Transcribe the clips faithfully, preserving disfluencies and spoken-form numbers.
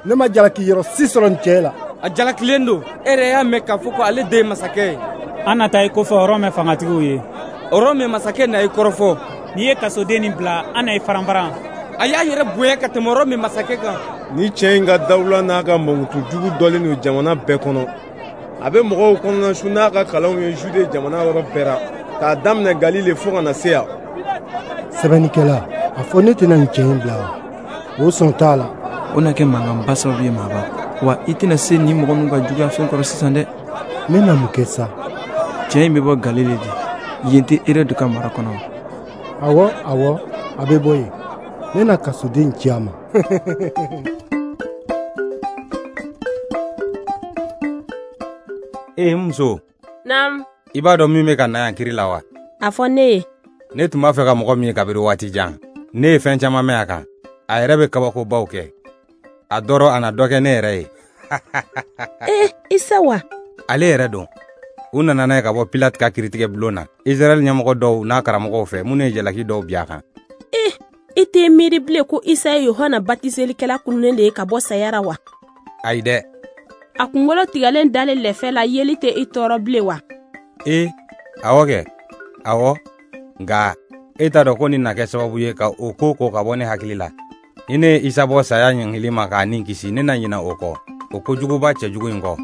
Ne ma jalaki yɔrɔ si sɔrɔ nin cɛ la. A jalakilen don. E yɛrɛ y'a mɛn k'a fɔ ko ale de ye masakɛ ye. An na taa i kofɔ Rɔmɛ fangatigiw ye. Rɔmɛ masakɛ na i kɔrɔfɔ. N'i ye kasoden nin bila, an na i faranfaran. A y'a yɛrɛ bonya ka tɛmɛ Rɔmɛ masakɛ kan. Ni cɛ in ka dawula n'a ka mankutu jugu dɔlen don jamana bɛɛ kɔnɔ. A bɛ mɔgɔw kɔnɔnasu n'a ka kalanw ye Jude jamana yɔrɔ bɛɛ la, k'a daminɛ Galile fo ka na se yan. Sɛbɛnnikɛla, a fɔ ne tɛna nin cɛ in bila wa? O sɔn t'a la. O na kɛ mankanba sababu ye maaba. Wa i tɛna se nin mɔgɔ ninnu ka juguya fɛn kɔrɔ sisan dɛ. Ne na mun kɛ sa? Cɛ in bɛ bɔ Galile de. Yen tɛ Erɔde ka mara kɔnɔ. Awɔ, awɔ, a bɛ bɔ yen. Ne na kasoden ci a ma. Ee muso. Naam. I b'a dɔn min bɛ ka na yan kiri la wa? A fɔ ne ye. Ne tun b'a fɛ ka mɔgɔ min ye kabiri waati jan. Ne ye fɛn caman mɛn a kan. A yɛrɛ bɛ kabakobaw kɛ. A dɔrɔ a na dɔ kɛ ne yɛrɛ ye. Eh, Isa wa? Ale yɛrɛ don. U nana n'a ye ka bɔ Pilate ka kiritigɛ bulon na. Israɛl ɲɛmɔgɔ dɔw n'a karamɔgɔw fɛ minnu ye jalaki dɔw bin a kan. Eh, i tɛ miiri bilen ko Isa ye Yohana batiselikɛla kununnen de ye ka bɔ saya ra wa? Ayi dɛ. A kunkolo tigɛlen dalen lɛfɛ la yeli tɛ i tɔɔrɔ bilen wa? Eh, awɔ kɛ. Awɔ. Nka e t'a dɔn ko nin na kɛ sababu ye ka o ko ko ka bɔ ne hakili la. Ni ne ye Isa bɔ saya ɲangili ma k'a ni kisi, ne na ɲina o kɔ, o kojuguba cɛjugu in kɔ.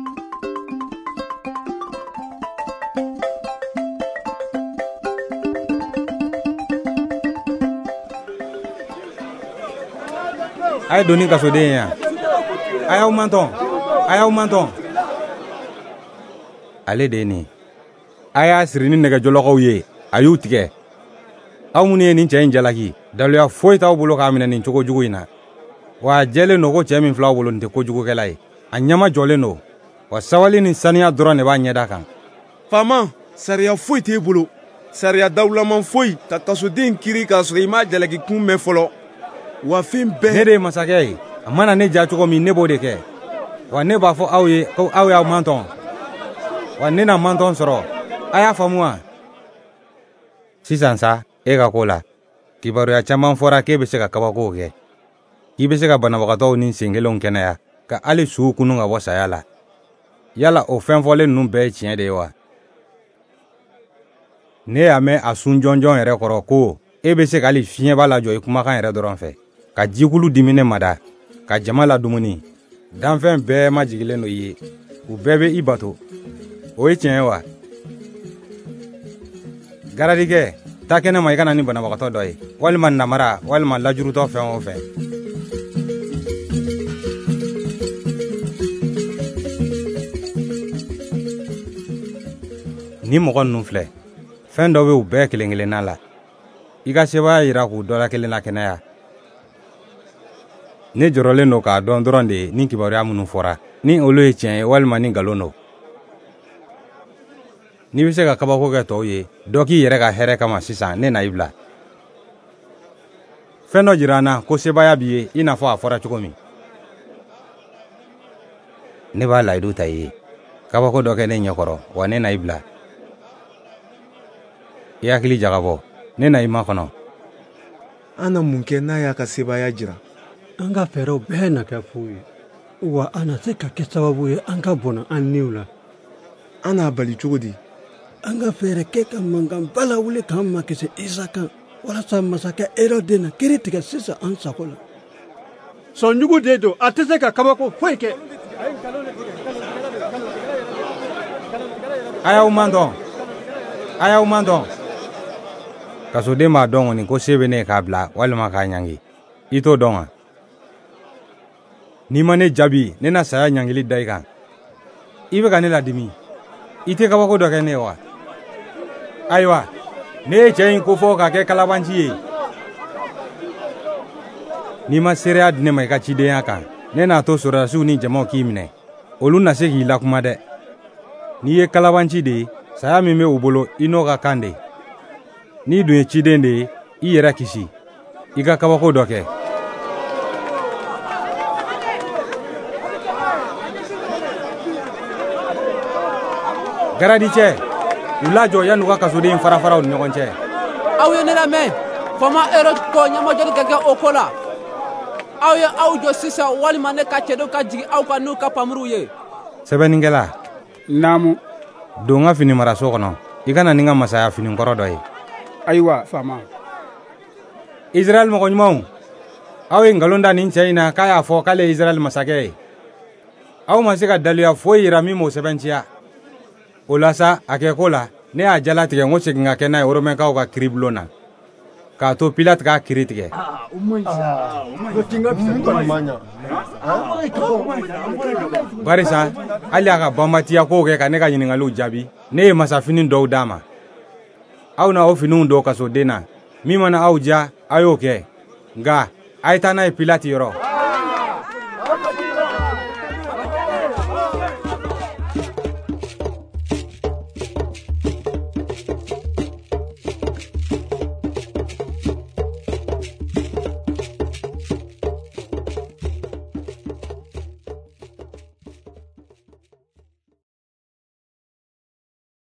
A ye don ni kasoden ye yan. A y'aw mantɔn, a y'aw mantɔn. Ale de ye nin ye. A y'a siri ni nɛgɛjɔlɔkɔw ye, a y'u tigɛ. Aw minnu ye nin cɛ in jalaki, daluya foyi t'aw bolo k'a minɛ nin cogo jugu in na. Wa a jɛlen don ko cɛ min filɛ aw bolo nin tɛ kojugukɛla ye. A ɲɛma jɔlen don. Wa sabali ni saniya dɔrɔn de b'a ɲɛda kan. Faama, sariya foyi t'e bolo. Sariya dawulaman foyi ka kasoden kiri k'a sɔrɔ i m'a jalaki kun mɛn fɔlɔ. Wa fɛn bɛɛ. Ne de ye masakɛ ye. A mana ne ja cogo min, ne b'o de kɛ. Wa ne b'a fɔ aw ye ko aw y'aw mantɔn. Wa ne na mantɔn sɔrɔ. A y'a faamu wa? Sisan sa, e ka ko la, kibaruya caman fɔra k'e bɛ se ka kabakow kɛ. K'i bɛ se ka banabagatɔw ni senkelenw kɛnɛya, ka hali suw kunun ka bɔ saya la. Yala o fɛn fɔlen ninnu bɛɛ ye tiɲɛ de ye wa? Ne y'a mɛn a sun jɔnjɔn yɛrɛ kɔrɔ ko e bɛ se ka hali fiɲɛba lajɔ i kumakan yɛrɛ dɔrɔn fɛ, ka jikulu diminen mada, ka jama ladumuni. Danfɛn bɛɛ majigilen don i ye, u bɛɛ bɛ i bato. O ye tiɲɛ ye wa? Garadikɛ, taa kɛnɛ ma i ka na ni banabagatɔ dɔ ye, walima namara, walima lajurutɔ fɛn o fɛn. Ni mɔgɔ ninnu filɛ, fɛn dɔ bɛ u bɛɛ kelen kelenna la. I ka sebaaya yira k'u dɔ la kelen la kɛnɛya. Ne jɔrɔlen don k'a dɔn dɔrɔn de ni kibaruya minnu fɔra, ni olu ye tiɲɛ ye walima ni nkalon don. N'i bɛ se ka kabako kɛ tɔw ye, dɔ k'i yɛrɛ ka hɛrɛ kama sisan, ne na i bila. Fɛn dɔ jira an na ko sebaaya b'i ye i n'a fɔ a fɔra cogo min. Ne b'a layidu ta i ye. Kabako dɔ kɛ ne ɲɛkɔrɔ, wa ne na i bila. I hakili jagabɔ, ne na i makɔnɔ. An na mun kɛ n'a y'a ka sebaaya jira? An ka fɛɛrɛw bɛɛ na kɛ fu ye. Wa a na se ka kɛ sababu ye an ka bɔnɛ an niw la. An n'a bali cogo di? An ka fɛɛrɛ kɛ ka mankanba lawuli k'an makisi Isa kan, walasa masakɛ Erɔde na kiri tigɛ sisan an sago la. Sɔnjugu de don, a tɛ se ka kabako foyi kɛ. A y'aw mantɔn, a y'aw mantɔn. Kasoden b'a dɔn kɔni ko se bɛ ne ye k'a bila walima k'a ɲangi. I t'o dɔn wa? N'i ma ne jaabi, ne na saya ɲangili da i kan. I bɛ ka ne ladimi. I tɛ kabako dɔ kɛ ne ye wa? Ayiwa, ne ye cɛ in kofɔ k'a kɛ kalabanci ye. N'i ma seereya di ne ma i ka cidenya kan, ne n'a to sɔrɔdasiw ni jamaw k'i minɛ. Olu na se k'i lakuma dɛ. N'i ye kalabanci de ye, saya min bɛ u bolo, i n'o ka kan de. N'i dun ye ciden de ye, i yɛrɛ kisi. I ka kabako dɔ kɛ. Garadicɛ, u lajɔ yanni u ka kasoden farafara u ni ɲɔgɔn cɛ. Aw ye ne lamɛn, faama Herode ko ɲɛmajɔli ka kɛ o ko la. Aw ye aw jɔ sisan walima ne ka cɛdenw ka jigin aw kan n'u ka npanmuruw ye. Sɛbɛnnikɛla. Naamu. Don n ka finimaraso kɔnɔ, i ka na ni n ka masaya finikɔrɔ dɔ ye. Ayiwa, faama. Israɛl mɔgɔ ɲumanw, aw ye nkalon da nin cɛ in na k'a y'a fɔ k'ale ye Israɛl masakɛ ye. Aw ma se ka daluya foyi yira min m'o sɛbɛntiya. O la sa, a kɛ ko la, ne y'a jalatigɛ n ko segin ka kɛ n'a ye Romɛnkaw ka kiiribulon na, k'a to Pilate k'a kiiri tigɛ. Barisa hali a ka banbatiya kow kɛ ka ne ka ɲininkaliw jaabi, ne ye masafini dɔw d'a ma. Aw na o finiw don kasoden na. Min mana aw diya, a y'o kɛ. Nka a ye taa n'a ye Pilate yɔrɔ.